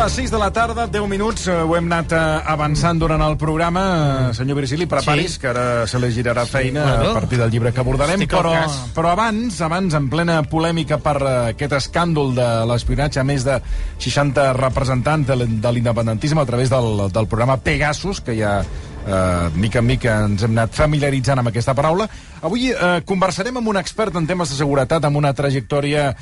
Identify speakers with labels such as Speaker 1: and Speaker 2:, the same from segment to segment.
Speaker 1: les 6 de la tarda, 10 minuts, ho hem anat avançant durant el programa. Senyor Virgili, preparis, que ara se li girarà feina a partir del llibre que abordarem, però abans, en plena polèmica per aquest escàndol de l'espionatge a més de 60 representants de l'independentisme a través del programa Pegasus, que ja mica en mica ens hem anat familiaritzant amb aquesta paraula. Avui conversarem amb un expert en temes de seguretat amb una trajectòria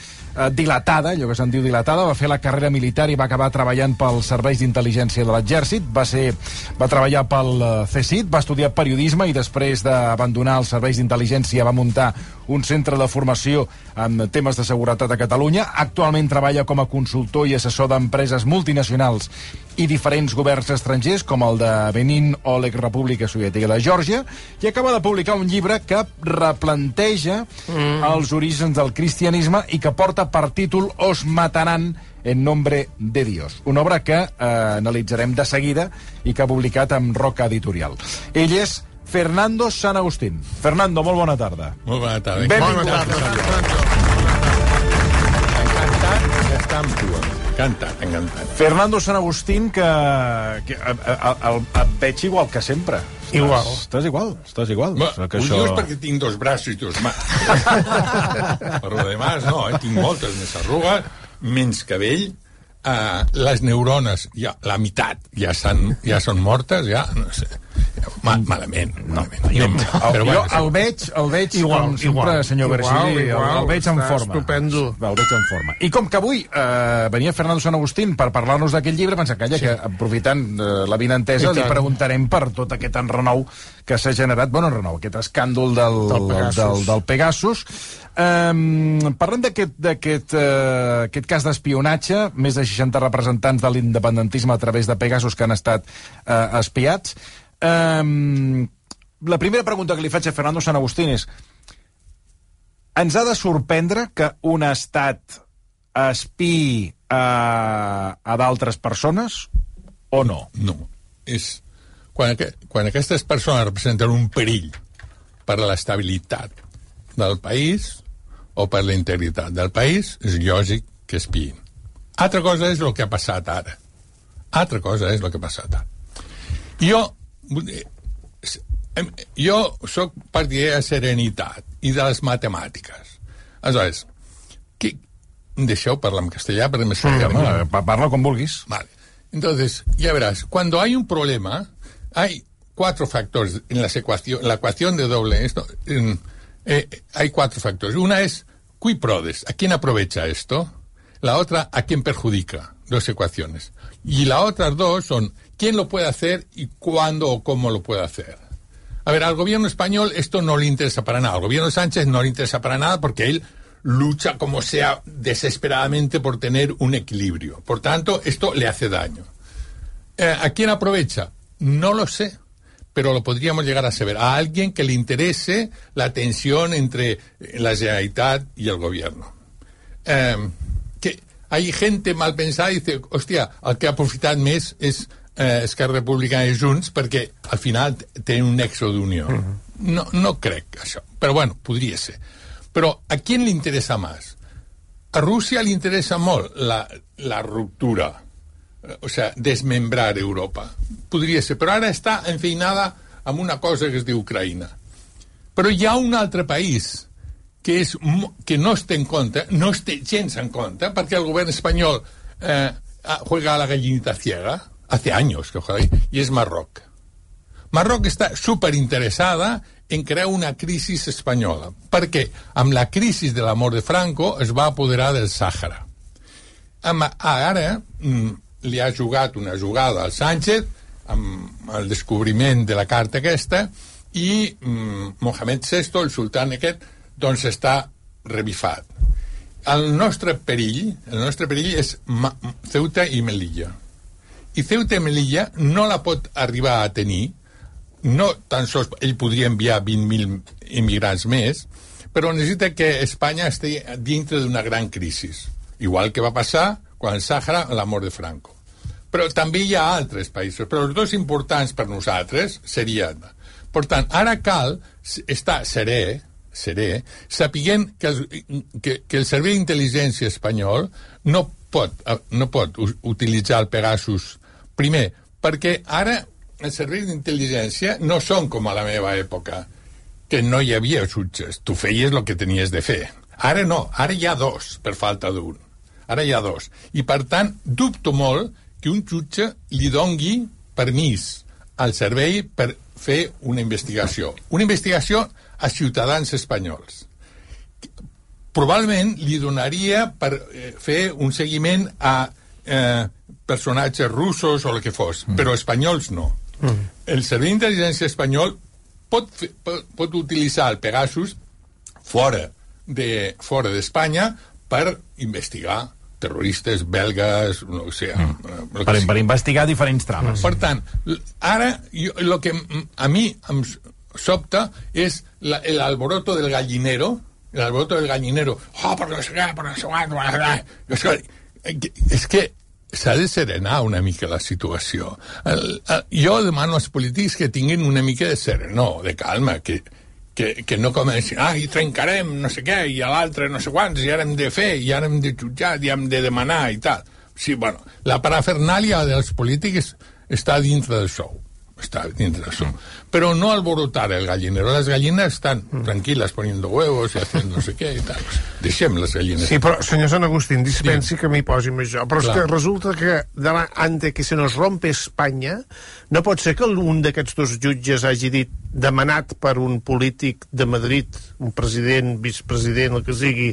Speaker 1: dilatada, allò que se'n diu dilatada. Va fer la carrera militar i va acabar treballant pels serveis d'intel·ligència de l'exèrcit. Va treballar pel CSIC, va estudiar periodisme i després d'abandonar els serveis d'intel·ligència va muntar un centre de formació en temes de seguretat a Catalunya. Actualment treballa com a consultor i assessor d'empreses multinacionals i diferents governs estrangers, com el de Benín o l'ex-República Soviètica de Geòrgia, i acaba de publicar un llibre que replanteja els orígens del cristianisme i que porta per títol Os matarán en nombre de Dios, una obra que analitzarem de seguida i que ha publicat amb Roca Editorial. Ell és Fernando San Agustín. Fernando, molt bona tarda.
Speaker 2: Molt bona tarda.
Speaker 1: Benvingut.
Speaker 2: Bona tarda. Encantat d'estar amb tu. Encantat.
Speaker 1: Fernando San Agustín, que et veig igual que sempre.
Speaker 2: Igual.
Speaker 1: Estàs igual.
Speaker 2: Que això... és perquè tinc dos braços i dos mans. Per lo demás, no, tinc moltes més arrugues, menys cabell, les neurones, ja, la meitat ja són mortes, ja, no sé, malament.
Speaker 1: Però jo el veig igual, com sempre, senyor Virgili, el veig en forma.
Speaker 3: Estupendo.
Speaker 1: El veig en forma. I com que avui venia Fernando San Agustín per parlar-nos d'aquest llibre, pensem que aprofitant la vinentesa, li preguntarem per tot aquest enrenou que s'ha generat, aquest escàndol del Pegasus. Parlem d'aquest cas d'espionatge, més de 60 representants de l'independentisme a través de Pegasus que han estat espiats. La primera pregunta que li faig a Fernando San Agustín és: ens ha de sorprendre que un estat espiï a d'altres persones o no?
Speaker 2: No, és... Quan aquestes persones representen un perill per a l'estabilitat del país o per la integritat del país, és lògic que espiïn. Altra cosa és el que ha passat ara. Jo soc partidari de serenitat i de les matemàtiques. Aleshores, deixeu parlar en castellà, perquè me sembla...
Speaker 1: Parla com vulguis.
Speaker 2: Vale. Entonces, ya verás, cuando hay un problema, hay cuatro factores en la ecuación de doble. Hay cuatro factores. Una es qui prodest, ¿a quién aprovecha esto? La otra, ¿a quién perjudica? Dos ecuaciones. Y las otras dos son quién lo puede hacer y cuándo o cómo lo puede hacer. A ver, al gobierno español esto no le interesa para nada. Al gobierno de Sánchez no le interesa para nada porque él lucha como sea desesperadamente por tener un equilibrio. Por tanto, esto le hace daño. ¿A quién aprovecha? No lo sé, pero lo podríamos llegar a saber. A alguien que le interese la tensión entre la Generalitat y el gobierno. Que hay gente mal pensada y dice, hòstia, el que ha aprofitat més és Esquerra Republicana i Junts perquè al final tenen un nexo d'unió. No crec això, però bueno, podria ser. Però a qui li interessa més? A Rússia li interessa molt la ruptura, o sea, desmembrar Europa. Podria ser, però ara està enfeinada amb una cosa que es diu Ucraïna. Però hi ha un altre país que no es té en compte, no es té gens en compte, perquè el govern espanyol juega a la gallinita ciega, hace años que juega ahí, y es Marroc. Marroc està superinteressada en crear una crisi espanyola, perquè amb la crisi de la mort de Franco es va apoderar del Sàhara. Ara li ha jugat una jugada al Sánchez amb el descobriment de la carta aquesta i Mohamed VI, el sultán aquest, doncs està revifat. El nostre perill és Ceuta i Melilla. I Ceuta i Melilla no la pot arribar a tenir, no tan sols ell podria enviar 20.000 immigrants més, però necessita que Espanya estigui dintre d'una gran crisi, igual que va passar quan el Sàhara, la mort de Franco. Però també hi ha altres països, però els dos importants per nosaltres serien... Per tant, ara cal estar serè, sapiguent que el Servei d'Intel·ligència espanyol no pot utilitzar el Pegasus. Primer, perquè ara els serveis d'intel·ligència no són com a la meva època, que no hi havia jutges. Tu feies el que tenies de fer. Ara no, ara hi ha dos, per falta d'un. Ara hi ha dos. I, per tant, dubto molt que un jutge li dongui permís al servei per fer una investigació. Una investigació a ciutadans espanyols. Probablement li donaria per fer un seguiment a personatges russos o el que fos, però espanyols no. El servei d'intel·ligència espanyol pot utilitzar el Pegasus fora d'Espanya per investigar terroristes belgues, no sé...
Speaker 1: Per investigar diferents trames.
Speaker 2: Per tant, ara, el que a mi em sobta és l'alboroto del gallinero, per no sé què, és que s'ha de serenar una mica la situació. Jo demano als polítics que tinguin una mica de serenor, de calma, que no comencin, i trencarem no sé què, i a l'altre no sé quants, i ara hem de fer, i ara hem de jutjar, i hem de demanar, i tal. Sí, bueno, la parafernàlia dels polítics està dintre del show. Pero no alborotar el gallinero. Las gallinas están tranquilas poniendo huevos y haciendo no sé què i tal. Deixem les gallines.
Speaker 3: Sí, però, senyor Sant Agustín, dispensi que m'hi posi amb això. Però és que resulta que antes que se nos rompe Espanya, no pot ser que un d'aquests dos jutges hagi dit, demanat per un polític de Madrid, un president, vicepresident, el que sigui,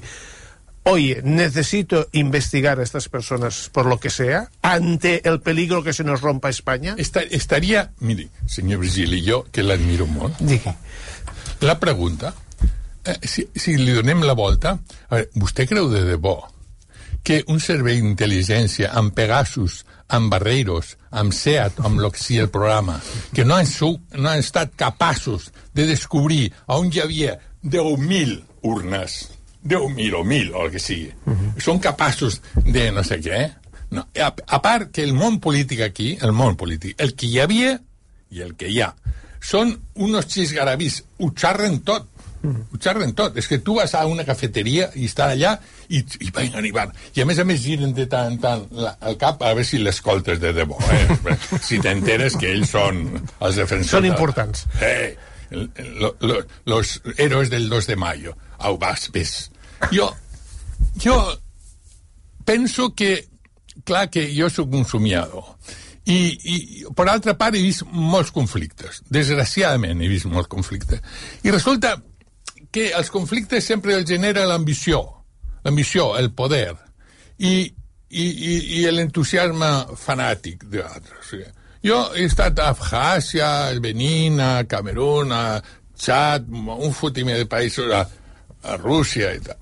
Speaker 3: oye, necesito investigar a estas personas por lo que sea, ante el peligro que se nos rompa España.
Speaker 2: Estaría, mire, señor Virgili, jo, que l'admiro molt,
Speaker 3: digui.
Speaker 2: La pregunta, si li donem la volta, a veure, vostè creu de debò que un servei d'intel·ligència amb Pegasus, amb Barreiros, amb SEAT, amb el que sigui el programa, que no han estat capaços de descobrir on hi havia 10.000 urnes, 10.000 o 1.000 o el que sigui, són capaços de no sé què, no. A part que el món polític aquí, el que hi havia i el que hi ha, són unos xisgarabís, ho xarren tot. És que tu vas a una cafeteria i està allà i van. I a més giren de tant en tant el cap a veure si l'escoltes de debò, si t'enteres que ells són els defensors.
Speaker 3: Són importants.
Speaker 2: Los héroes del 2 de mayo. Au, ves. Jo penso que, clar, que jo soc un somiador. I per altra part he vist molts conflictes. Desgraciadament he vist molts conflictes. I resulta que els conflictes sempre els genera l'ambició, el poder i l'entusiasme fanàtic d'altres. Jo he estat a Abkhàzia, a Benín, a Camerún, a Txad, un fotimer de països, a Rússia i tal.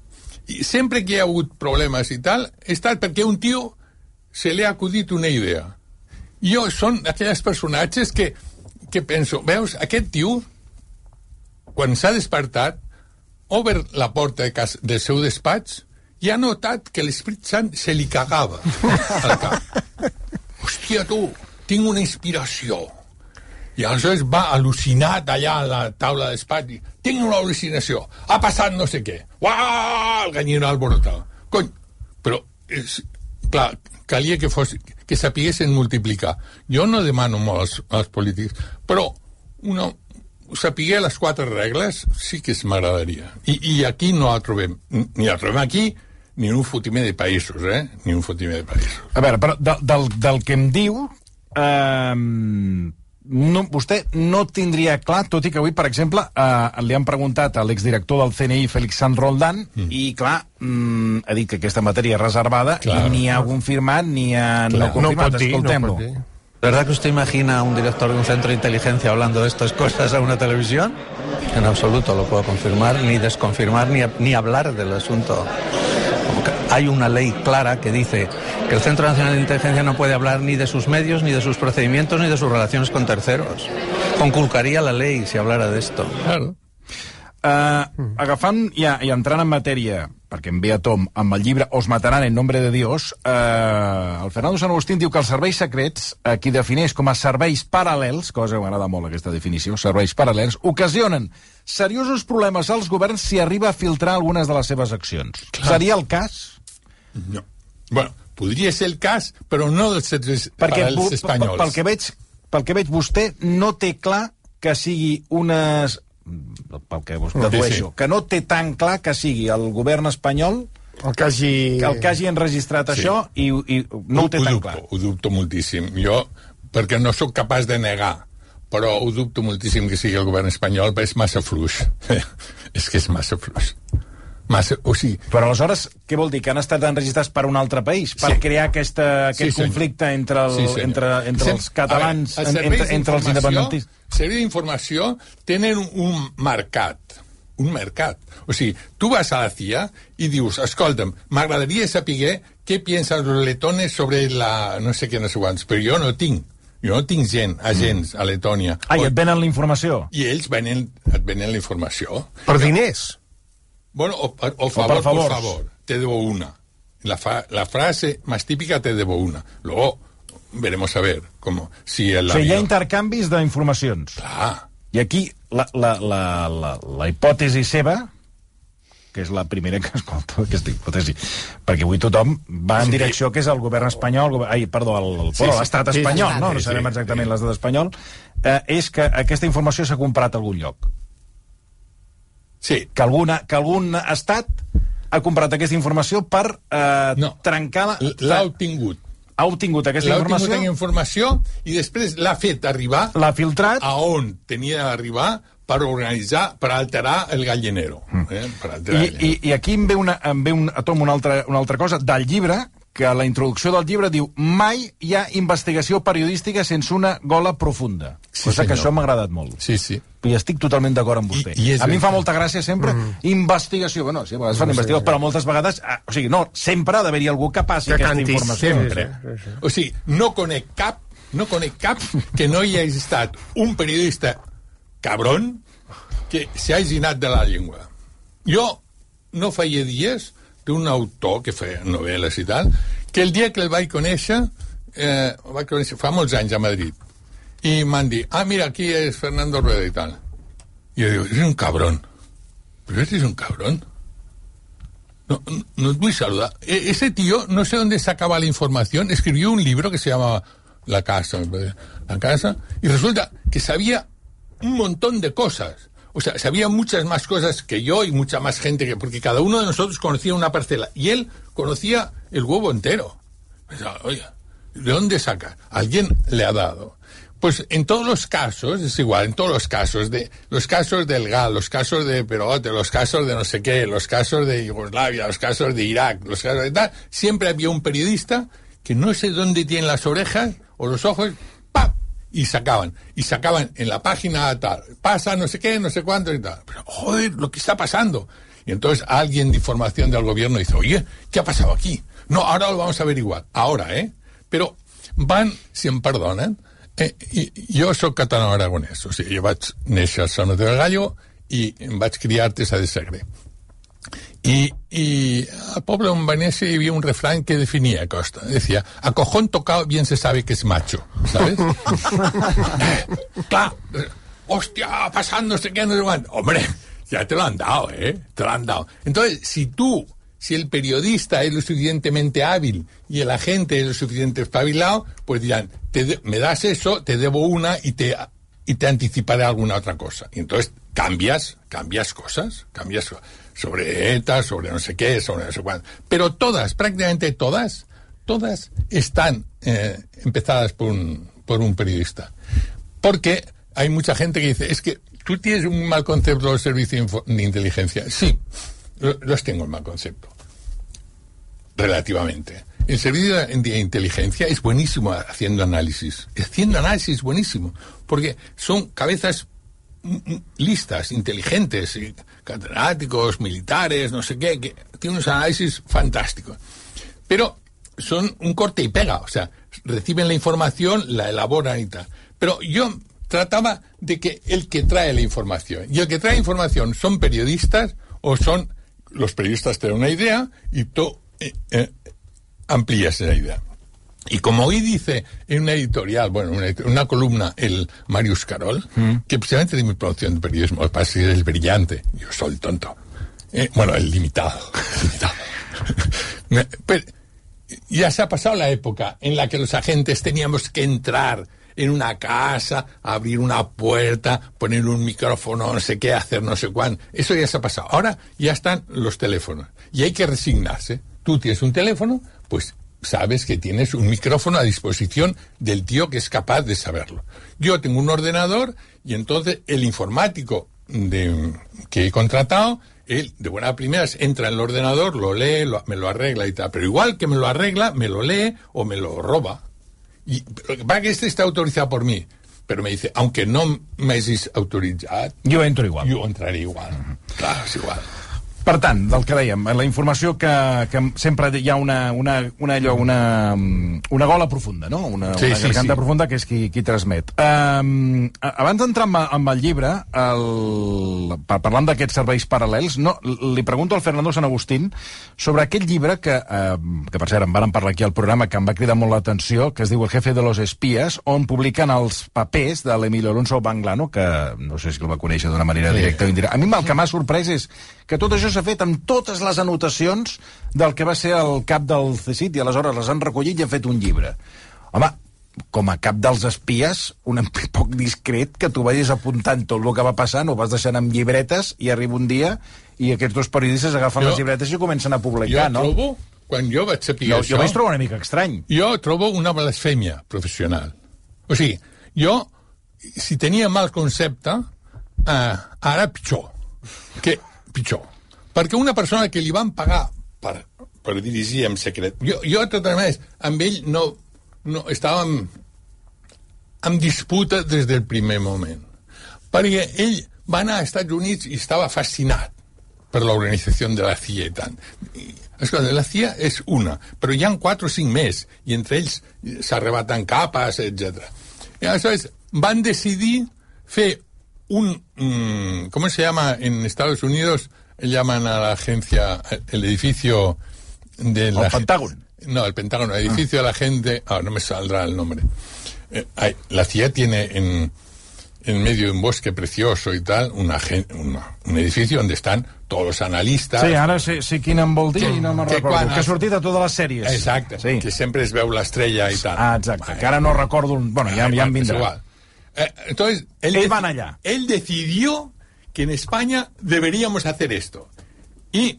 Speaker 2: I sempre que hi ha hagut problemes i tal, he estat perquè un tio se li ha acudit una idea. Jo són aquells personatges que penso, veus, aquest tio, quan s'ha despertat, obert la porta del seu despatx i ha notat que l'Espírit Sant se li cagava al cap. Hòstia, tu, tinc una inspiració. I aleshores va al·lucinat allà a la taula de despatx i tinc una al·lucinació. Ha passat no sé què. Uah! El galliner alborotat. Cony, però, clar, calia que sapiguessin multiplicar. Jo no demano molt als polítics, però saber les 4 regles sí que m'agradaria. I aquí no la trobem. Ni la trobem aquí, ni en un fotimer de països, Ni un fotimer de països.
Speaker 1: A veure, però del que em diu, vostè no tindria clar, tot i que avui, per exemple, li han preguntat a l'exdirector del CNI, Félix Sanz Roldán, i, clar, ha dit que aquesta matèria és reservada, i ni ha confirmat ni ha confirmat. Escoltem-lo.
Speaker 4: ¿De verdad que usted imagina a un director de un centro de inteligencia hablando de estas cosas a una televisión? En absoluto lo puedo confirmar, ni desconfirmar, ni hablar del asunto. Hay una ley clara que dice que el Centro Nacional de Inteligencia no puede hablar ni de sus medios, ni de sus procedimientos, ni de sus relaciones con terceros. Conculcaría la ley si hablara de esto.
Speaker 2: Claro.
Speaker 1: Agafant i entrant en matèria, perquè em ve a tom amb el llibre Os mataran en nombre de Dios, el Fernando Sant Agustín diu que els serveis secrets, qui defineix com a serveis paral·lels, cosa que m'agrada molt aquesta definició, serveis paral·lels, ocasionen seriosos problemes als governs si arriba a filtrar algunes de les seves accions. Clar. Seria el cas?
Speaker 2: No. Bueno, podria ser el cas, però no dels paral·lels espanyols.
Speaker 1: Pel que veig, vostè no té clar que sigui unes... pel que us dedueixo, que no té tan clar que sigui el govern espanyol el que hagi enregistrat això i no ho té tan clar.
Speaker 2: Ho dubto moltíssim. Jo, perquè no sóc capaç de negar, però ho dubto moltíssim que sigui el govern espanyol, però és massa fluix. És que és massa fluix.
Speaker 1: Però aleshores, què vol dir? Que han estat enregistrats per un altre país? Per crear aquest conflicte entre els catalans, entre els independentistes?
Speaker 2: Els serveis d'informació tenen un mercat. O sigui, tu vas a la CIA i dius, escolta'm, m'agradaria saber què piensen los letones sobre la no sé què, no sé quants, però jo no tinc agents a Letònia.
Speaker 1: I et venen la informació?
Speaker 2: I ells et venen la informació.
Speaker 3: Per diners?
Speaker 2: Bueno, o favor, por favor, te debo una. La frase más típica, te debo una. Luego veremos a ver cómo, si el
Speaker 1: hi ha intercanvis d'informacions.
Speaker 2: Clar.
Speaker 1: I aquí la hipòtesi seva, que és la primera que escolto, aquesta hipòtesi, perquè avui tothom va en direcció que és el govern espanyol, l'estat espanyol, no sabem exactament l'estat espanyol, és que aquesta informació s'ha comprat a algun lloc.
Speaker 2: Sí.
Speaker 1: Que algun estat ha comprat aquesta informació per trencar...
Speaker 2: L'ha obtingut.
Speaker 1: Ha obtingut aquesta informació...
Speaker 2: L'ha obtingut informació i després l'ha fet arribar...
Speaker 1: L'ha filtrat...
Speaker 2: A on tenia d'arribar per organitzar, per alterar el gallinero.
Speaker 1: I aquí em ve una altra cosa del llibre, que a la introducció del llibre diu mai hi ha investigació periodística sense una gola profunda. Cosa que això m'ha agradat molt.
Speaker 2: Sí, sí.
Speaker 1: I estic totalment d'acord amb vostè. A mi em fa molta gràcia sempre investigació. Bueno, sí, a vegades fan investigació, però moltes vegades... O sigui, no, sempre ha d'haver-hi algú que passi aquesta informació.
Speaker 2: Sempre. O sigui, no conec cap que no hi hagi estat un periodista cabrón que s'hagi anat de la llengua. Jo no feia dies d'un autor que feia novel·les i tal, que el dia que el vaig conèixer fa molts anys a Madrid, i m'han dit, mira, aquí és Fernando Rueda i tal. I jo dic, eres un cabrón. ¿Pero eres un cabrón? No te voy a saludar. Ese tío, no sé dónde sacaba la información, escribió un libro que se llama La Casa, y resulta que sabía un montón de cosas. O sea, sabía muchas más cosas que yo y mucha más gente, porque cada uno de nosotros conocía una parcela. Y él conocía el huevo entero. Pensaba, oye, ¿de dónde saca? Alguien le ha dado. Pues en todos los casos, es igual, en todos los casos del GAL, los casos de Perote, los casos de no sé qué, los casos de Yugoslavia, los casos de Irak, los casos de tal, siempre había un periodista que no sé dónde tiene las orejas o los ojos, ¡pap! Y sacaban en la página tal, pasa no sé qué, no sé cuánto y tal. Pero, joder, lo que está pasando. Y entonces alguien de información del gobierno dice, oye, ¿qué ha pasado aquí? No, ahora lo vamos a averiguar. Ahora, Però van, si em perdonen, jo sóc català-aragonès, o sigui, jo vaig néixer a Sant Mateu del Gallo i em vaig criar a Artesa de Segre. Y al poble on va néixer hi havia un refrán que definia Costa. Decía, a cojón tocado bien se sabe que es macho, ¿sabes? Clar, hostia, pasando, no sé qué, no sé cuánto. Hombre, ya te lo han dado, te lo han dado. Entonces, si el periodista es lo suficientemente hábil y el agente es lo suficientemente espabilado, pues dirán, me das eso, te debo una y te anticiparé alguna otra cosa. Y entonces cambias cosas sobre ETA, sobre no sé qué, sobre no sé cuánto. Pero prácticamente todas están empezadas por un periodista. Porque hay mucha gente que dice, es que tú tienes un mal concepto del servicio de inteligencia. Sí, los tengo el mal concepto. Relativamente. El servicio de inteligencia es buenísimo haciendo análisis. Haciendo análisis es buenísimo. Porque son cabezas listas, inteligentes, catedráticos, militares, no sé qué, que tienen unos análisis fantásticos. Pero son un corte y pega. O sea, reciben la información, la elaboran y tal. Pero yo trataba de que el que trae la información, y el que trae información son periodistas, o son los periodistas te dan una idea y tú amplías esa idea. Y como hoy dice en una editorial, una columna, el Marius Carol, que precisamente de mi producción de periodismo, el pasa es el brillante, yo soy el tonto. El limitado. Pero ya se ha pasado la época en la que los agentes teníamos que entrar en una casa, abrir una puerta, poner un micrófono, no sé qué, hacer no sé cuánto. Eso ya se ha pasado. Ahora ya están los teléfonos y hay que resignarse. Tú tienes un teléfono, pues sabes que tienes un micrófono a disposición del tío que es capaz de saberlo. Yo tengo un ordenador y entonces el informático que he contratado, él de buenas primeras entra en el ordenador, lo lee, me lo arregla y tal. Pero igual que me lo arregla, me lo lee o me lo roba. Y va que este está autorizado por mi, però me dice, aunque no m'hagis autoritzat,
Speaker 1: jo entro igual.
Speaker 2: Jo entraré igual. Clar, és igual.
Speaker 1: Per tant, del que dèiem, la informació que sempre hi ha una gola profunda, no? Una garganta profunda que és qui transmet. Abans d'entrar amb el llibre, parlant d'aquests serveis paral·lels, li pregunto al Fernando San Agustín sobre aquell llibre que per cert, en vàrem parlar aquí al programa, que em va cridar molt l'atenció, que es diu El jefe de los espías, on publiquen els papers de l'Emilio Alonso Banglano, que no sé si el va conèixer d'una manera directa o indirecta. A mi el que m'ha sorprès és que tot això s'ha fet amb totes les anotacions del que va ser el cap del CSIC i aleshores les han recollit i han fet un llibre. Home, com a cap dels espies, un poc discret que tu vagis apuntant tot el que va passant, ho vas deixant amb llibretes i arriba un dia i aquests dos periodistes agafen les llibretes i comencen a publicar, no?
Speaker 2: Jo trobo, quan jo vaig saber això...
Speaker 1: Jo vaig trobar una mica estrany.
Speaker 2: Jo trobo una blasfèmia professional. O sigui, jo, si tenia mal concepte, ara pitjor. Pitjor. Perquè una persona que li van pagar per dirigir en secret... Jo de totes maneres, amb ell no estàvem en disputa des del primer moment. Perquè ell va anar als Estats Units i estava fascinat per l'organització de la CIA i tant. Escolta, la CIA és una, però hi ha 4 o 5 més, i entre ells s'arrebaten capes, etc. I aleshores van decidir fer ¿cómo se llama en Estados Unidos? Llaman a la agencia, el edificio de la...
Speaker 1: ¿El Pentágono?
Speaker 2: No, el Pentágono, el edificio de la gente... no me saldrá el nombre. La CIA tiene en medio de un bosque precioso y tal, un edificio donde están todos los analistas...
Speaker 1: Sí, ara sé quin em vol dir i no me'n recordo. Que ha sortit a totes les sèries.
Speaker 2: Exacte, sí. Que sempre es veu l'estrella i tal.
Speaker 1: Exacte, que ara no recordo... Bueno, ja em vindrà.
Speaker 2: Igual. Entonces,
Speaker 1: van allá.
Speaker 2: Él decidió que en España deberíamos hacer esto. Y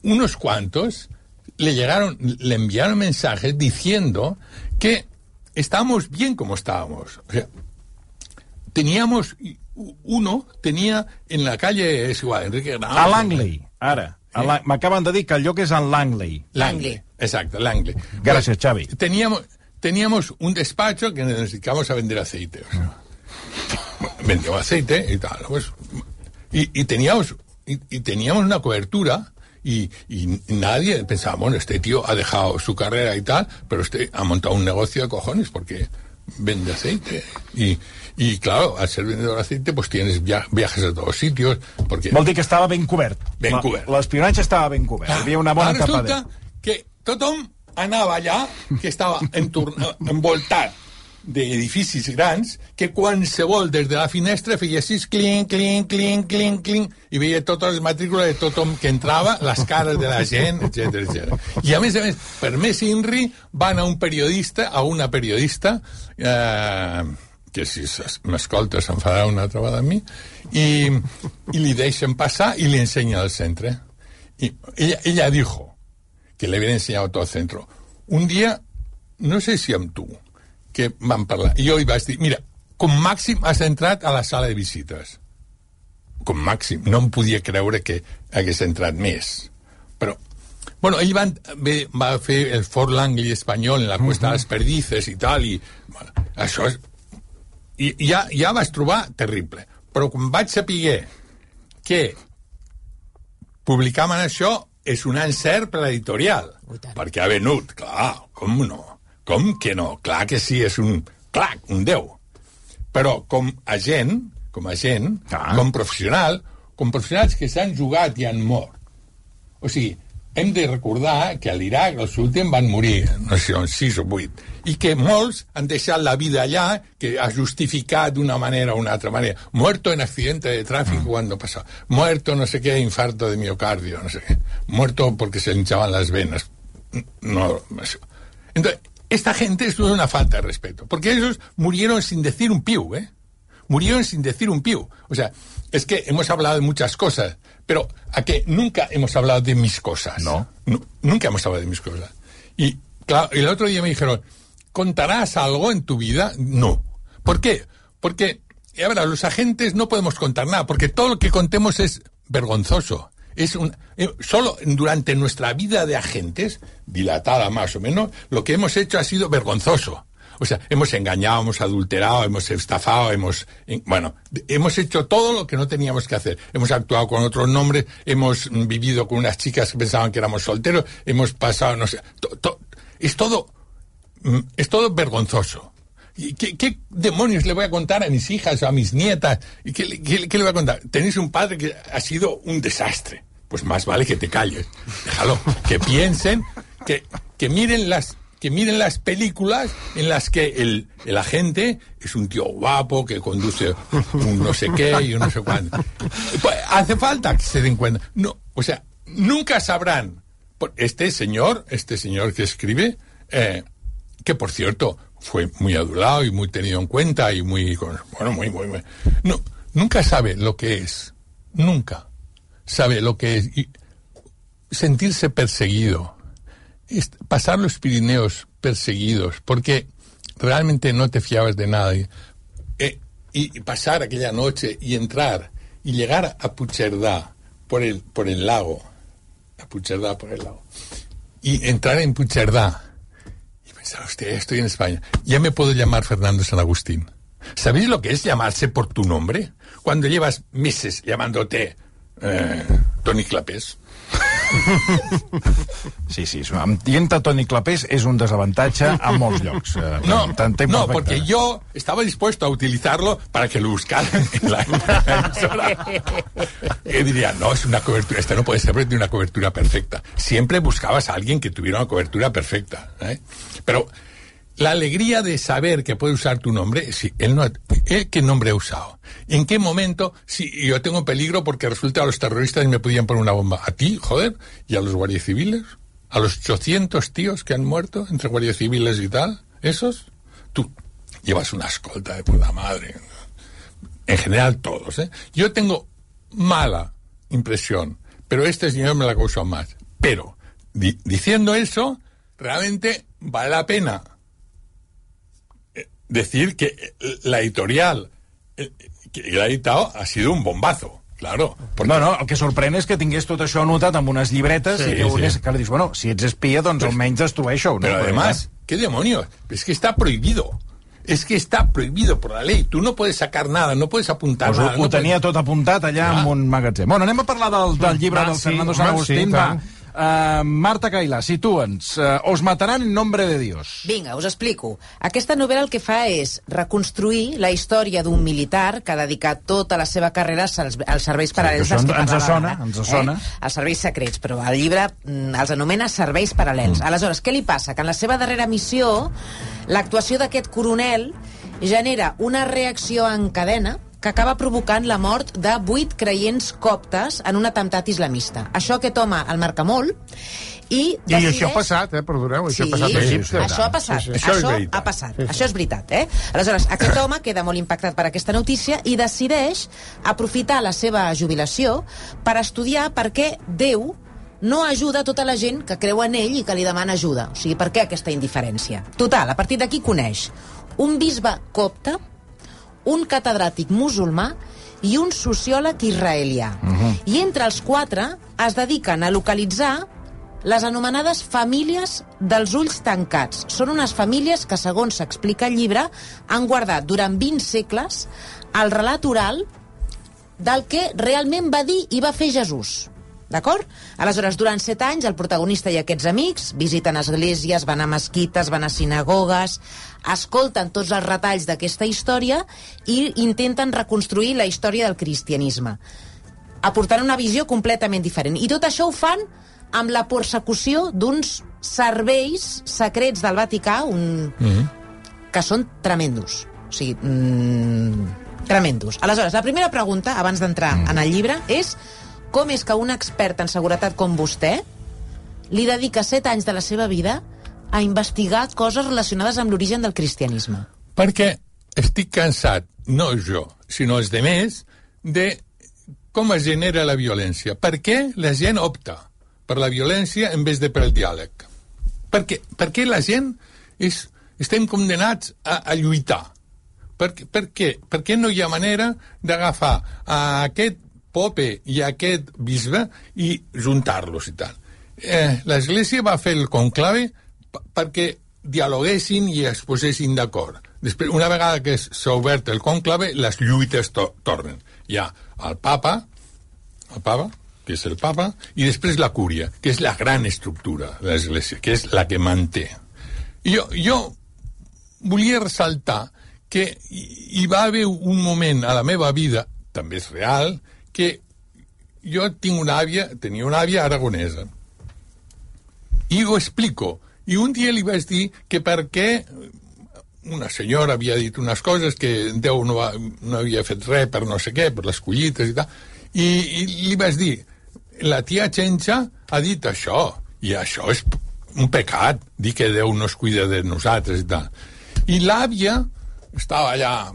Speaker 2: unos cuantos le enviaron mensajes diciendo que estábamos bien como estábamos. O sea, tenía en la calle, es igual, Enrique Granados...
Speaker 1: A Langley, ara. M'acaben de dir que el lloc és en Langley.
Speaker 2: Langley, exacto, Langley.
Speaker 1: Gràcies, Xavi.
Speaker 2: Teníamos un despacho que nos dedicamos a vender aceite. O sea, vendíamos aceite y tal. Pues, y teníamos una cobertura y nadie pensaba, bueno, este tío ha dejado su carrera y tal, pero este ha montado un negocio de cojones porque vende aceite. Y claro, al ser vendedor de aceite, pues tienes viajes a todos sitios. Porque...
Speaker 1: Vol dir que estava ben cobert.
Speaker 2: Ben cobert.
Speaker 1: L'espionatge estava ben cobert. Hi havia una bona tapa.
Speaker 2: Resulta que tothom anava allà, que estava envoltat d'edificis grans, que qualsevol des de la finestra feia així, clink, clink, clink, clink, clink, i veia totes les matrícules de tothom que entrava, les cares de la gent, etc. I a més, per més INRI, va anar a una periodista, que si m'escolta s'enfadarà una altra vegada amb mi, i li deixen passar i li ensenya el centre. Y ella dijo que le habían enseñado todo el centro. Un día, no sé si amb tu, que vam parlar, i jo li vaig dir, mira, com màxim has entrat a la sala de visites. Com màxim. No em podia creure que hagués entrat més. Però, bueno, ell va fer el Fort Langley espanyol en la Cuesta de les Perdices i tal, i bueno, això és... I ja vaig trobar terrible. Però quan vaig saber que publicaven això, és un encert per l'editorial, perquè ha venut, clar, com no? Com que no? Clar que sí, és un 10. Però com professionals que s'han jugat i han mort. O sigui, hem de recordar que a l'Iraq els últims van morir, no sé, 6 o 8, i que molts han deixat la vida allà, que ha justificat d'una manera o una altra manera. Muerto en accidente de tráfico cuando pasó. Muerto no sé qué, infarto de miocardio, no sé qué. Muerto porque se le hinchaban las venas. no. Entonces, esta gente es una falta de respeto, porque ellos murieron sin decir un piu, Murieron sin decir un piu. O sea, es que hemos hablado de muchas cosas, pero ¿a qué? Nunca hemos hablado de mis cosas.
Speaker 1: No.
Speaker 2: Nunca hemos hablado de mis cosas. Y claro, el otro día me dijeron, ¿contarás algo en tu vida? No. ¿Por qué? Porque, a ver, los agentes no podemos contar nada, porque todo lo que contemos es vergonzoso. Solo durante nuestra vida de agentes, dilatada más o menos, lo que hemos hecho ha sido vergonzoso. O sea, hemos engañado, hemos adulterado, hemos estafado, hemos hecho todo lo que no teníamos que hacer. Hemos actuado con otros nombres, hemos vivido con unas chicas que pensaban que éramos solteros, hemos pasado, no sé, es todo vergonzoso. ¿Y qué demonios le voy a contar a mis hijas o a mis nietas? ¿Y qué le voy a contar? Tenéis un padre que ha sido un desastre. Pues más vale que te calles. Déjalo. Que piensen, que miren las películas en las que el agente es un tío guapo que conduce un no sé qué y un no sé cuánto. Pues hace falta que se den cuenta. No, o sea, nunca sabrán. Este señor que escribe, que por cierto fue muy adulado y muy tenido en cuenta y muy. No, nunca sabe lo que es. Nunca sabe lo que es. Y sentirse perseguido. Pasar los Pirineos perseguidos, porque realmente no te fiabas de nada. Y pasar aquella noche y entrar y llegar a Puigcerdá por el lago. A Puigcerdá por el lago. Y entrar en Puigcerdá. Y pensar, hostia, estoy en España. Ya me puedo llamar Fernando San Agustín. ¿Sabéis lo que es llamarse por tu nombre? Cuando llevas meses llamándote Toni Clapés.
Speaker 1: Sí, dient-te Toni Clapés és un desavantatge a molts llocs.
Speaker 2: No, porque yo estaba dispuesto a utilizarlo para que lo buscaran en la emisora. Y diría, no, es una cobertura, no puede ser de una cobertura perfecta. Siempre buscabas a alguien que tuviera una cobertura perfecta, Pero la alegría de saber que puede usar tu nombre, sí, él ¿qué nombre ha usado? ¿En qué momento? Sí, yo tengo peligro porque resulta a los terroristas me podían poner una bomba. ¿A ti, joder? ¿Y a los guardias civiles? ¿A los 800 tíos que han muerto entre guardias civiles y tal? ¿Esos? Tú llevas una escolta de puta madre. En general todos, Yo tengo mala impresión, pero este señor me la causó más. Pero, diciendo eso, realmente vale la pena decir que la editorial que l'ha editado ha sido un bombazo, claro.
Speaker 1: Porque... No, el que sorprèn és que tingués tot això anotat amb unes llibretes que dius, bueno, si ets espia, doncs almenys destrueixo.
Speaker 2: Pero además, ¿qué demonios? Es que está prohibido. Es que está prohibido por la ley. Tú no puedes sacar nada, no puedes apuntar nada.
Speaker 1: Ho tenia tot apuntat allà en un magatzem. Bueno, anem a parlar del llibre del Fernando San Agustín. Marta Cailà, situa'ns. Os matarán en nombre de Dios.
Speaker 5: Vinga, us explico. Aquesta novel·la el que fa és reconstruir la història d'un militar que ha dedicat tota la seva carrera als serveis paral·lels dels que parlava.
Speaker 1: Ens sona.
Speaker 5: Els serveis secrets, però el llibre els anomena serveis paral·lels. Aleshores, què li passa? Que en la seva darrera missió, l'actuació d'aquest coronel genera una reacció en cadena que acaba provocant la mort de 8 creients coptes en un atemptat islamista. Això aquest home el marca molt i decideix...
Speaker 3: I això ha passat, perdoneu, això ha passat a Egipte.
Speaker 5: Això ha passat, això ha passat, això és veritat, Aleshores, aquest home queda molt impactat per aquesta notícia i decideix aprofitar la seva jubilació per estudiar per què Déu no ajuda tota la gent que creu en ell i que li demana ajuda. O sigui, per què aquesta indiferència? Total, a partir d'aquí coneix un bisbe copte, un catedràtic musulmà i un sociòleg israelià. I entre els 4 es dediquen a localitzar les anomenades famílies dels ulls tancats. Són unes famílies que, segons s'explica al llibre, han guardat durant 20 segles el relat oral del que realment va dir i va fer Jesús. D'acord? Aleshores, durant 7 anys, el protagonista i aquests amics visiten esglésies, van a mesquites, van a sinagogues, escolten tots els retalls d'aquesta història i intenten reconstruir la història del cristianisme, aportant una visió completament diferent. I tot això ho fan amb la persecució d'uns serveis secrets del Vaticà que són tremendos. O sigui, tremendos. Aleshores, la primera pregunta, abans d'entrar en el llibre, és com és que un expert en seguretat com vostè li dedica 7 anys de la seva vida a investigar coses relacionades amb l'origen del cristianisme.
Speaker 2: Perquè estic cansat, no jo, sinó els demés, de com es genera la violència. Per què la gent opta per la violència en vez de per el diàleg? Per què la gent estem condenats a lluitar? Per què no hi ha manera d'agafar a aquest pope i a aquest bisbe i juntar-los i tal? L'Església va fer el conclave perquè dialoguessin i es posessin d'acord. Després, una vegada que s'ha obert el conclave, les lluites tornen. Hi ha el papa, que és el papa, i després la cúria, que és la gran estructura de l'Església, que és la que manté. I jo volia ressaltar que hi va haver un moment a la meva vida, també és real, que jo tenia una àvia aragonesa. I ho explico. I un dia li vaig dir que perquè una senyora havia dit unes coses que Déu no havia fet res per no sé què, per les collites i tal, i li vaig dir, la tia Chencha ha dit això, i això és un pecat, dir que Déu no es cuida de nosaltres i tal. I l'àvia estava allà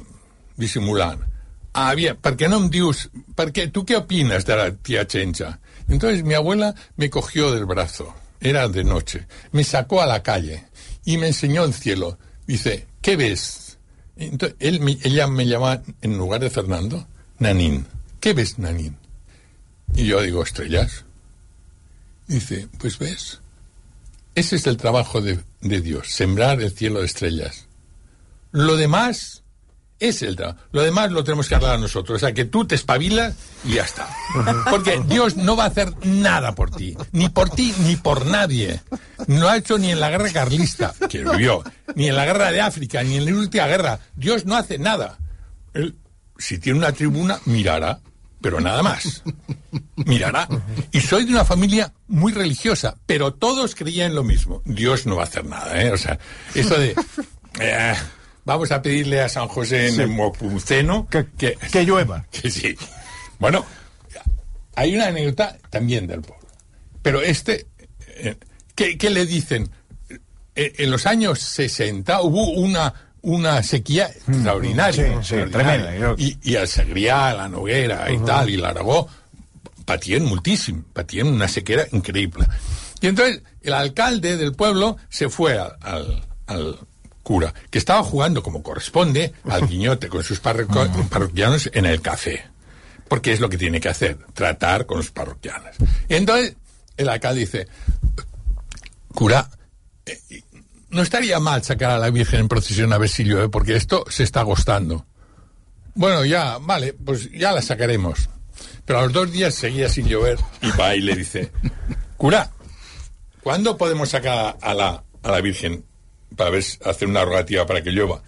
Speaker 2: dissimulant. Àvia, ¿por qué no me dius, tú qué opinas de la tía Chencha? Entonces mi abuela me cogió del brazo, era de noche, me sacó a la calle y me enseñó el cielo. Dice, ¿qué ves? Entonces, ella me llama, en lugar de Fernando, Nanín. ¿Qué ves, Nanín? Y yo digo, estrellas. Dice, pues ves, ese es el trabajo de Dios, sembrar el cielo de estrellas. Lo demás lo demás lo tenemos que hablar nosotros. O sea, que tú te espabilas y ya está. Porque Dios no va a hacer nada por ti, ni por nadie. No lo ha hecho ni en la guerra carlista, que vivió, ni en la guerra de África, ni en la última guerra. Dios no hace nada. Él, si tiene una tribuna, mirará, pero nada más. Mirará. Y soy de una familia muy religiosa, pero todos creían lo mismo. Dios no va a hacer nada, ¿eh? O sea, eso de... vamos a pedirle a San José en el Mopuceno
Speaker 1: que llueva.
Speaker 2: Que sí. Bueno, hay una anécdota también del pueblo. Pero ¿qué le dicen? En los años 60 hubo una sequía extraordinaria.
Speaker 1: Sí, tremenda.
Speaker 2: Y el Segrià, la Noguera y tal, y l'Aragó, patien muchísimo, patien una sequera increíble. Y entonces el alcalde del pueblo se fue al cura, que estaba jugando como corresponde al guiñote con sus parroquianos en el café, porque es lo que tiene que hacer, tratar con los parroquianos. Y entonces el alcalde dice, cura, no estaría mal sacar a la Virgen en procesión a ver si llueve, porque esto se está agostando. Bueno, ya, vale, pues ya la sacaremos. Pero a los 2 días seguía sin llover y va y le dice, cura, ¿cuándo podemos sacar a la Virgen para ver, hacer una rogativa para que llueva?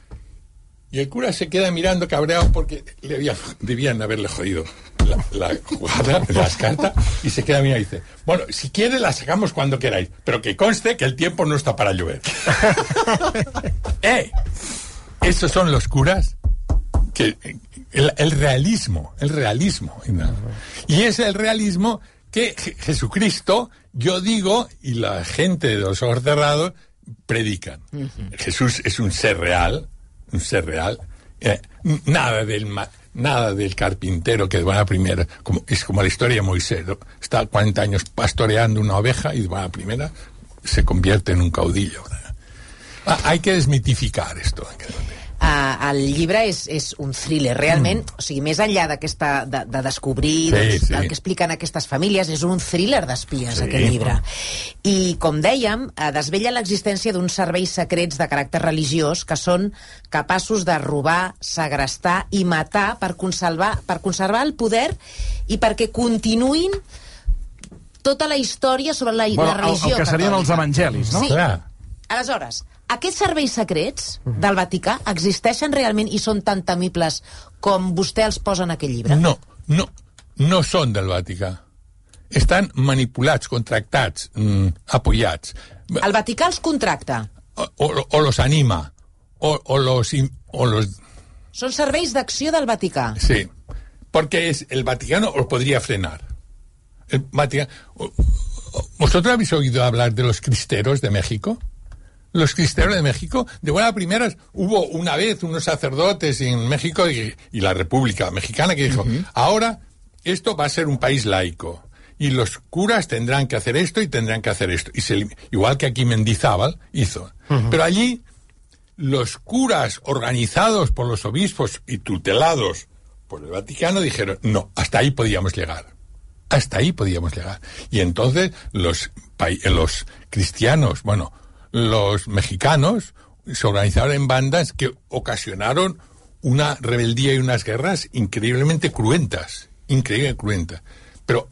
Speaker 2: Y el cura se queda mirando cabreado porque debían haberle jodido la jugada, las cartas, y se queda mirando y dice, bueno, si quiere la sacamos cuando queráis, pero que conste que el tiempo no está para llover. Esos son los curas que el realismo, ¿no? Y es el realismo que Jesucristo, yo digo, y la gente de los ojos cerrados predican. Jesús es un ser real, nada del carpintero que va a primera, es como la historia de Moisés, ¿no? Está 40 años pastoreando una oveja y va a primera, se convierte en un caudillo. Hay que desmitificar esto.
Speaker 5: El llibre és un thriller, realment, o sigui, més enllà de descobrir el que expliquen aquestes famílies, és un thriller d'espies, aquest llibre. I, com dèiem, desvella l'existència d'uns serveis secrets de caràcter religiós que són capaços de robar, segrestar i matar per conservar el poder i perquè continuïn tota la història sobre la religió catòlica.
Speaker 1: El que serien els evangelis, no?
Speaker 5: Sí. Aleshores, aquests serveis secrets del Vaticà existeixen realment i són tan temibles com vostè els posa en aquell llibre?
Speaker 2: No són del Vaticà. Estan manipulats, contractats, apoyats.
Speaker 5: El Vaticà els contracta?
Speaker 2: O los anima. O los...
Speaker 5: Són serveis d'acció del Vaticà?
Speaker 2: Sí, porque el Vaticano os podría frenar. El Vaticano... ¿Vosotros habéis oído hablar de los cristeros de México? Los cristeros de México, de buenas primeras, hubo una vez unos sacerdotes en México y la República Mexicana que dijo, ahora esto va a ser un país laico y los curas tendrán que hacer esto y tendrán que hacer esto. Igual que aquí Mendizábal hizo. Pero allí los curas organizados por los obispos y tutelados por el Vaticano dijeron, no, hasta ahí podíamos llegar. Hasta ahí podíamos llegar. Y entonces los cristianos, los mexicanos se organizaron en bandas que ocasionaron una rebeldía y unas guerras increíblemente cruentas. Pero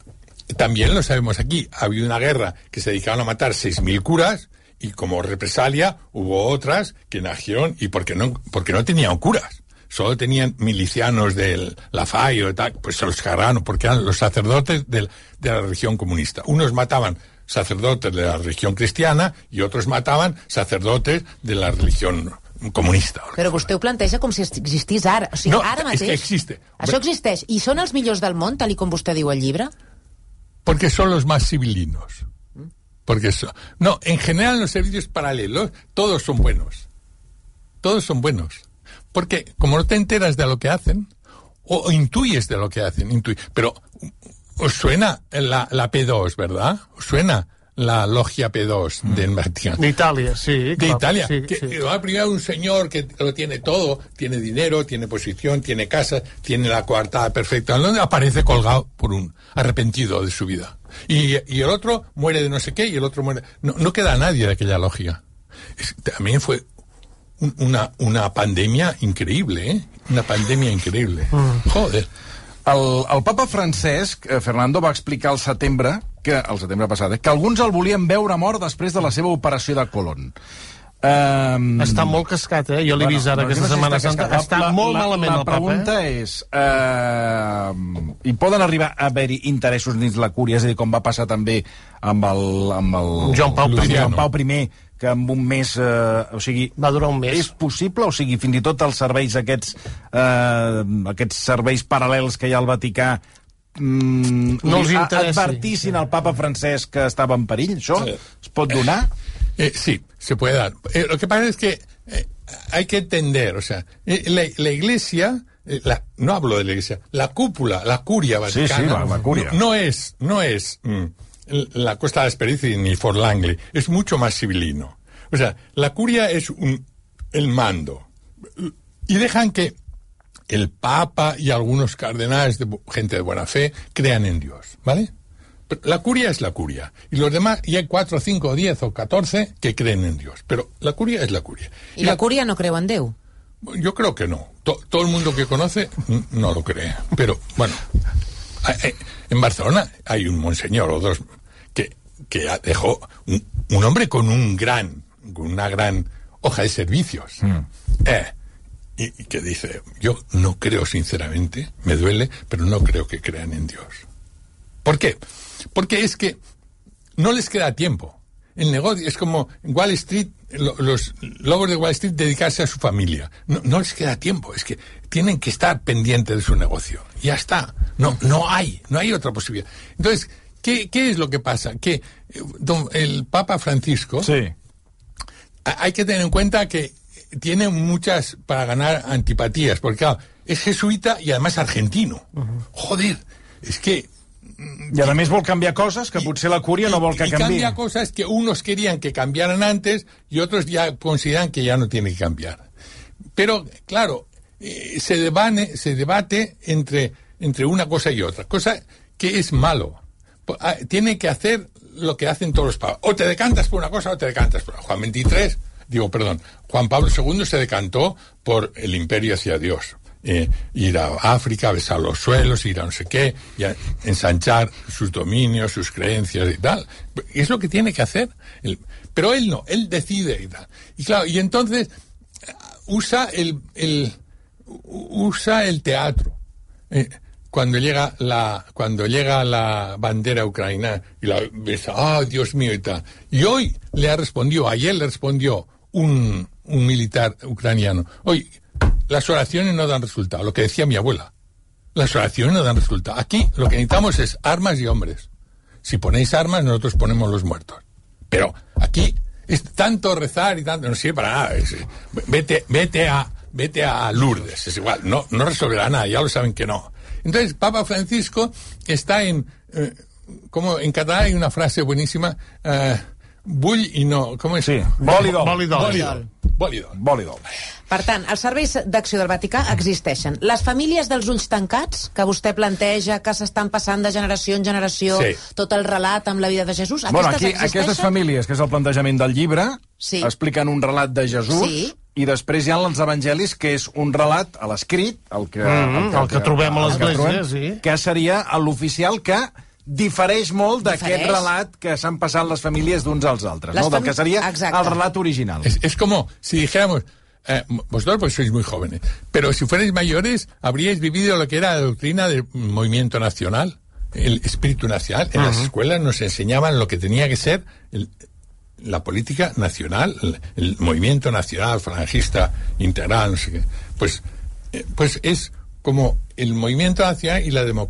Speaker 2: también lo sabemos aquí, había una guerra que se dedicaban a matar 6.000 curas y como represalia hubo otras que nacieron y porque no tenían curas. Solo tenían milicianos del Lafay o tal, pues se los cargaron porque eran los sacerdotes de la religión comunista. Unos mataban sacerdotes de la religión cristiana i otros mataven sacerdotes de la religión comunista.
Speaker 5: Però vostè ho planteja com si existís ara. O sigui, ara mateix...
Speaker 2: No, es que existe.
Speaker 5: Això existeix. I són els millors del món, tal com vostè diu al llibre?
Speaker 2: Porque son los más civilinos. No, en general en los servicios paralelos todos son buenos. Todos son buenos. Porque como no te enteras de lo que hacen, o intuyes de lo que hacen, pero os suena la P2, ¿verdad? Os suena la logia P2 del Vaticano.
Speaker 3: De Italia, sí.
Speaker 2: De
Speaker 3: claro,
Speaker 2: Italia.
Speaker 3: Sí,
Speaker 2: Va primero un señor que lo tiene todo, tiene dinero, tiene posición, tiene casa, tiene la coartada perfecta, donde aparece colgado por un arrepentido de su vida. Y el otro muere de no sé qué y el otro muere... No queda nadie de aquella logia. También fue una pandèmia increïble, Una pandèmia increïble. Joder.
Speaker 1: El papa Francesc, Fernando, va explicar el setembre passat, que alguns el volien veure mort després de la seva operació de Colon.
Speaker 3: Està molt cascat, Jo l'he vist ara aquesta Setmana Santa. Està molt malament el papa.
Speaker 1: La pregunta és... hi poden arribar a haver-hi interessos dins la cúria? És a dir, com va passar també amb el
Speaker 3: Joan Pau
Speaker 1: I, que en un mes...
Speaker 3: va durar un mes.
Speaker 1: És possible? O sigui, fins i tot els serveis aquests serveis paral·lels que hi ha al Vaticà
Speaker 3: no els interessi.
Speaker 1: Advertissin al papa Francesc que estava en perill? Això es pot donar?
Speaker 2: Sí, se puede dar. Lo que pasa es que hay que entender, o sea, la Iglesia, no hablo de la Iglesia, la cúpula, la curia vaticana,
Speaker 1: la curia.
Speaker 2: No es la Costa de Esperici ni Fort Langley, es mucho más civilino. O sea, la curia es el mando. Y dejan que el Papa y algunos cardenales, gente de buena fe, crean en Dios, ¿vale? Pero la curia es la curia. Y los demás, y hay 4, 5, 10 o 14 que creen en Dios. Pero la curia es la curia.
Speaker 5: ¿Y la curia no creu en Déu?
Speaker 2: Yo creo que no. Todo el mundo que conoce no lo cree. Pero, bueno, en Barcelona hay un monseñor o dos que dejó un hombre con una gran hoja de servicios. Y que dice, yo no creo sinceramente, me duele, pero no creo que crean en Dios. ¿Por qué? Porque es que no les queda tiempo. El negocio es como en Wall Street, los lobos de Wall Street dedicarse a su familia. No les queda tiempo, es que tienen que estar pendientes de su negocio. Ya está. No hay otra posibilidad. Entonces, ¿qué es lo que pasa? Que el Papa Francisco, hay que tener en cuenta que tiene muchas para ganar antipatías, porque claro, es jesuita y además argentino. Joder, es que...
Speaker 1: Y además vol canviar cosas que potser la curia no vol que canviï.
Speaker 2: Y cambia cosas que unos querían que cambiaran antes y otros ya consideran que ya no tiene que cambiar. Pero, claro, se debate entre una cosa y otra. Cosa que es malo. Tiene que hacer lo que hacen todos los papas. O te decantas por una cosa o te decantas por otra. Juan Pablo II se decantó por el imperio hacia Dios. Ir a África, besar los suelos, ir a no sé qué, y a ensanchar sus dominios, sus creencias y tal. Es lo que tiene que hacer. Pero él no, él decide y tal. Y claro, y entonces usa el teatro. Cuando llega la bandera ucraniana y la besa, Dios mío y tal. Y ayer le respondió un militar ucraniano, las oraciones no dan resultado, lo que decía mi abuela. Las oraciones no dan resultado. Aquí lo que necesitamos es armas y hombres. si ponéis armas, nosotros ponemos los muertos. Pero aquí es tanto rezar y tanto, no sirve para nada. Vete a Lourdes, es igual, no resolverá nada, ya lo saben que no. Entonces, Papa Francisco está como en catalán hay una frase buenísima, bull i no, com és?
Speaker 1: Sí,
Speaker 2: bolidol.
Speaker 5: Per tant, els serveis d'acció del Vaticà existeixen. Les famílies dels ulls tancats, que vostè planteja que s'estan passant de generació en generació, tot el relat amb la vida de Jesús,
Speaker 1: aquestes famílies, que és el plantejament del llibre, expliquen un relat de Jesús, i després hi ha els evangelis, que és un relat a l'escrit, el que
Speaker 3: trobem a l'església,
Speaker 1: que seria l'oficial, que difereix molt d'aquest relat que s'han passat les famílies d'uns als altres, no? Del que seria el relat original.
Speaker 2: Es como si dijéramos, vosotros pues sois muy jóvenes, pero si fuerais mayores habríais vivido lo que era la doctrina del movimiento nacional, el espíritu nacional. En las escuelas nos enseñaban lo que tenía que ser la política nacional, el movimiento nacional, falangista, integral, no sé qué. Pues es como el movimiento nacional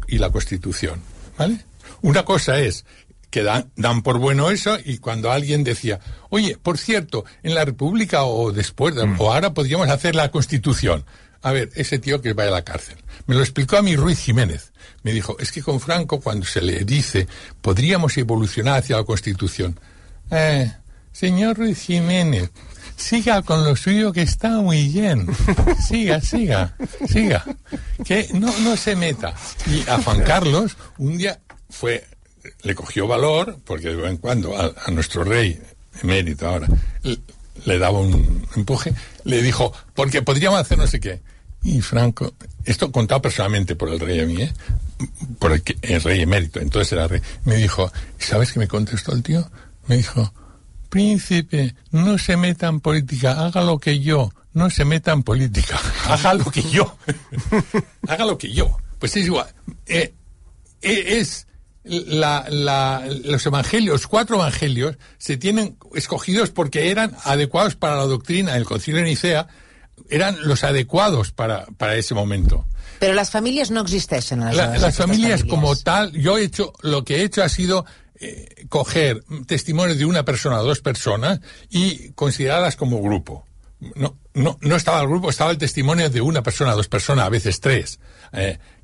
Speaker 2: y la Constitución, ¿vale? Una cosa es que dan por bueno eso, y cuando alguien decía, oye, por cierto, en la República o después, o ahora podríamos hacer la Constitución. A ver, ese tío que vaya a la cárcel. Me lo explicó a mí Ruiz Jiménez. Me dijo, es que con Franco, cuando se le dice, podríamos evolucionar hacia la Constitución. Señor Ruiz Jiménez, siga con lo suyo, que está muy bien. Siga. Que no se meta. Y a Juan Carlos, un día le cogió valor, porque de vez en cuando a nuestro rey emérito ahora le daba un empuje, le dijo, porque podríamos hacer no sé qué. Y Franco, esto contado personalmente por el rey a mí, por el rey emérito, entonces era rey, me dijo, ¿sabes qué me contestó el tío? Me dijo, príncipe, no se meta en política, haga lo que yo, no se meta en política, haga lo que yo. Haga lo que yo. Pues es igual. Los evangelios, 4 evangelios, se tienen escogidos porque eran adecuados para la doctrina del Concilio de Nicea, eran los adecuados para ese momento.
Speaker 5: Pero las familias no existen.
Speaker 2: Las familias como tal, lo que he hecho ha sido coger testimonios de una persona o 2 personas y considerarlas como grupo. No estaba el grupo, estaba el testimonio de una persona, 2 personas, a veces 3,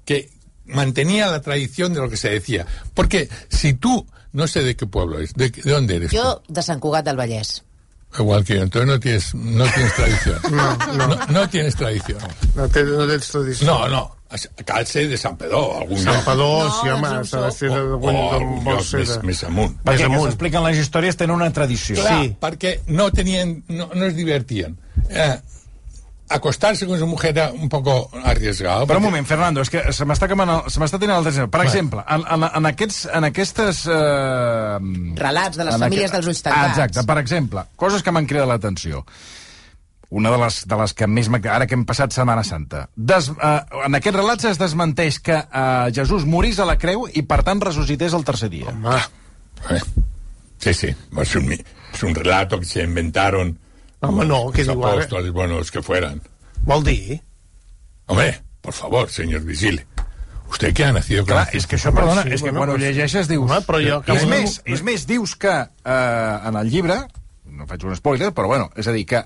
Speaker 2: que mantenía la tradición de lo que se decía. Porque si tú, no sé de qué pueblo es, ¿de dónde eres?
Speaker 5: Yo de Sant Cugat del Vallès.
Speaker 2: Igual que yo, entonces no tienes tradición. No tienes tradición.
Speaker 3: No tens tradició.
Speaker 2: No. Cal ser de Sant Pedó.
Speaker 3: Sant Pedó, sí, home, s'ha de ser
Speaker 2: més amunt.
Speaker 1: Perquè que s'expliquen les històries tenen una tradició.
Speaker 2: Clar, perquè no es divertien. Acostarse con su mujer era un poco arriesgado.
Speaker 1: Però un moment, Fernando, és que se m'està tenint el temps. Per exemple, en aquestes...
Speaker 5: relats de les famílies dels ulls tancats.
Speaker 1: Exacte, per exemple, coses que m'han cridat l'atenció. Una de les que més... Ara que hem passat Setmana Santa. En aquests relats es desmenteix que Jesús morís a la creu i, per tant, ressuscités el tercer dia.
Speaker 2: Sí. Es un relato que se inventaron...
Speaker 3: Home, no, què diu ara?
Speaker 2: Los apóstoles, bueno, los que fueran.
Speaker 3: Vol dir?
Speaker 2: Hombre, por favor, señor Vigile. Usted que ha nacido...
Speaker 1: Clar, és que això, perdona, és que quan ho llegeixes dius... És més, dius que en el llibre, no faig un spoiler, però bueno, és a dir, que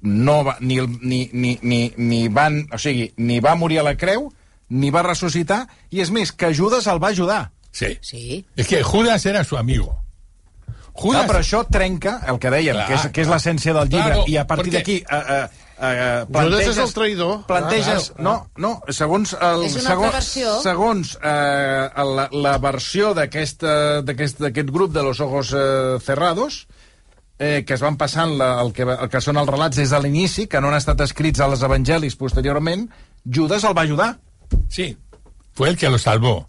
Speaker 1: no va, ni va morir a la creu, ni va ressuscitar, i és més, que Judas el va ajudar.
Speaker 2: Sí. És que Judas era su amigo.
Speaker 1: Clar, però això trenca el que dèiem, que és l'essència del llibre, i a partir d'aquí
Speaker 3: Judas és el traïdor.
Speaker 1: Planteges... No, segons la versió d'aquest grup de los ojos cerrados, que es van passant el que són els relats des de l'inici, que no han estat escrits a els evangelis posteriorment, Judas el va ajudar.
Speaker 2: Sí, fue el que lo salvó.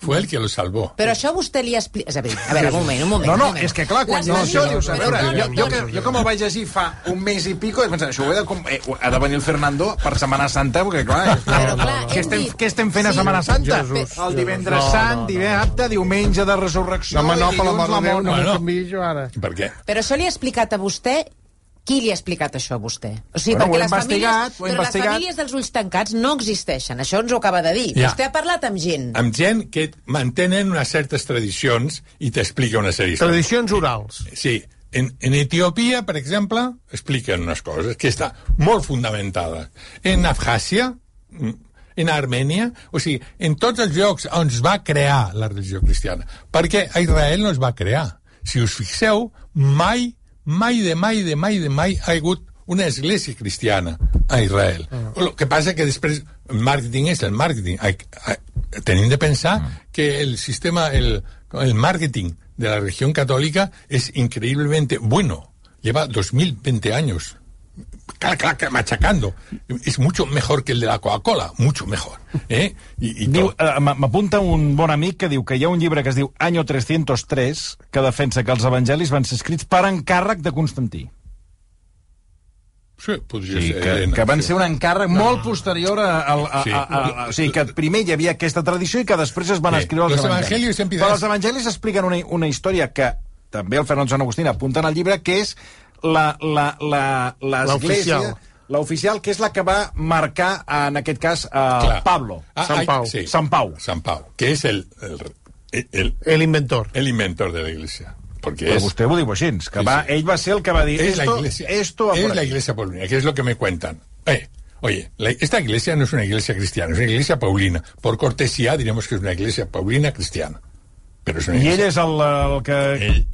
Speaker 2: Fue el que lo salvó.
Speaker 5: Però això vostè li explica... A veure, un moment.
Speaker 1: No, és que clar, quan això dius... A veure, jo com el vaig llegir fa un mes i pico, he pensat, això ha de venir el Fernando per Setmana Santa, perquè clar... Què estem fent a Setmana Santa? El divendres sant, dissabte, diumenge de resurrecció...
Speaker 3: No, per la mort de Déu, no m'ho canviï jo ara.
Speaker 2: Per què?
Speaker 5: Però això li ha explicat a vostè Qui li ha explicat això a vostè? O sigui, perquè les famílies dels ulls tancats no existeixen. Això ens ho acaba de dir. Ja. Vostè ha parlat amb gent.
Speaker 2: Amb gent que mantenen unes certes tradicions i t'explica una sèrie.
Speaker 3: Tradicions orals.
Speaker 2: Sí. En Etiòpia, per exemple, expliquen unes coses que està molt fundamentada. En Abkhàzia, en Armènia, o sigui, en tots els llocs on es va crear la religió cristiana. Perquè a Israel no es va crear. Si us fixeu, mai ha hagut una església cristiana a Israel. El que passa que després el màrqueting és el màrqueting. Tenim de pensar que el sistema, el màrqueting de la religión católica es increíblemente bueno. Lleva 2020 años. Claro, machacando. Es mucho mejor que el de la Coca-Cola, mucho mejor.
Speaker 1: M'apunta un bon amic que diu que hi ha un llibre que es diu Año 303 que defensa que els evangelis van ser escrits per encàrrec de Constantí.
Speaker 2: Sí, podria ser.
Speaker 1: Que van ser un encàrrec molt posterior o sigui, que primer hi havia aquesta tradició i que després es van escriure els evangelis. Però els evangelis expliquen una història que també el Fernando Sant Agustín apunta en el llibre, que és l'església, l'oficial, que és la que va marcar, en aquest cas, Pablo. Sant Pau.
Speaker 2: Que és el
Speaker 3: inventor.
Speaker 2: El inventor de la iglesia.
Speaker 1: Però vostè ho diu així, que ell va ser el que va dir
Speaker 2: es la iglesia paulina, que es lo que me cuentan. Oye, esta iglesia no es una iglesia cristiana, es una iglesia paulina. Por cortesía diremos que es una iglesia paulina cristiana. Pero es una iglesia.
Speaker 1: I ell és el que...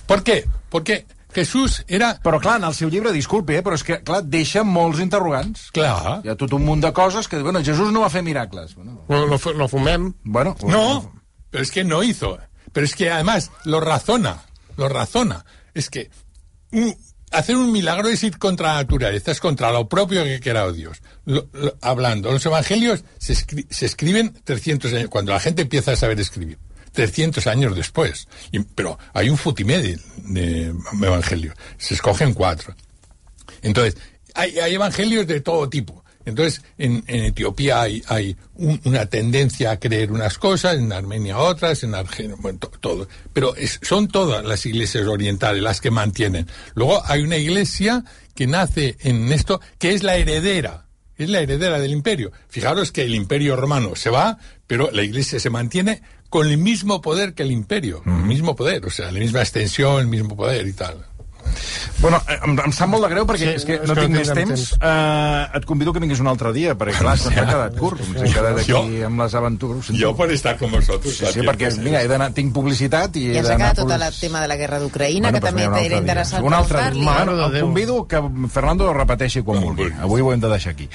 Speaker 2: ¿Por qué? Porque Jesús era...
Speaker 1: Però clar, en el seu llibre, disculpi, però és que, clar, deixa molts interrogants.
Speaker 2: Clar.
Speaker 1: Hi ha tot un munt de coses que, bueno, Jesús no va fer miracles.
Speaker 3: No fumem.
Speaker 1: Bueno,
Speaker 2: no, pero es que no hizo. Pero es que además lo razona. Es que hacer un milagro es ir contra la naturaleza, es contra lo propio que era Dios. Hablando, los evangelios se escriben 300 años, cuando la gente empieza a saber escribir. 300 años después. Pero hay un futimé de evangelios. Se escogen 4. Entonces, hay evangelios de todo tipo. Entonces, en Etiopía hay una tendencia a creer unas cosas, en Armenia otras, en Argelia, bueno, todo. Pero son todas las iglesias orientales las que mantienen. Luego hay una iglesia que nace en esto, que es la heredera. Es la heredera del imperio. Fijaros que el imperio romano se va, pero la iglesia se mantiene con el mismo poder que el imperio. El mismo poder, o sea, la misma extensión, el mismo poder y tal.
Speaker 1: Bueno, em sap molt de greu perquè és que no tinc més temps. Et convido que vinguis un altre dia, perquè clar, s'ha quedat curt. Ens hem quedat aquí amb les aventures.
Speaker 2: Jo per estar con vosotros.
Speaker 1: Sí, perquè mira, tinc publicitat i
Speaker 5: ja s'ha quedat tot el tema de la guerra d'Ucraïna, que també era interessant
Speaker 1: per parlar-li. El convido que Fernando ho repeteixi quan vulgui. Avui ho hem de deixar aquí.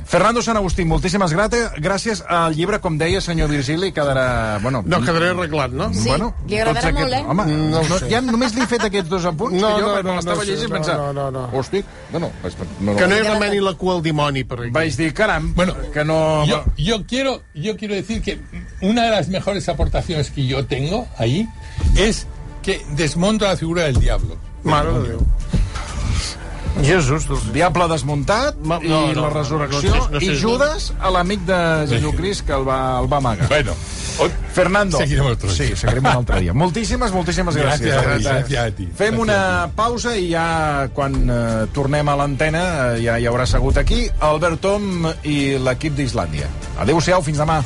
Speaker 1: Fernando Sant Agustín, moltíssimes gràcies. El llibre, com deia senyor Virgili, quedarà...
Speaker 3: No, quedaré arreglat, no?
Speaker 5: Sí, li agradarà molt,
Speaker 1: Home, ja només li he fet aquests 2 apunts que jo quan l'estava llegint pensava, hosti, bueno...
Speaker 3: Que no hi remeni la cua al dimoni, per exemple.
Speaker 1: Vaig dir, caram, que no...
Speaker 2: Yo quiero decir que una de las mejores aportaciones que yo tengo ahí es que desmonto la figura del diablo.
Speaker 3: Mare de Déu. Jesús,
Speaker 1: diable desmuntat i la resurrecció i Judas, l'amic de Jesucrist que el va amagar.
Speaker 2: Bueno,
Speaker 1: Fernando,
Speaker 2: seguirem
Speaker 1: un altre dia. Moltíssimes gràcies.
Speaker 2: Gràcies a ti.
Speaker 1: Fem una pausa i ja quan tornem a l'antena ja hi haurà segut aquí Albert Tom i l'equip d'Islàndia. Adéu-siau, fins demà.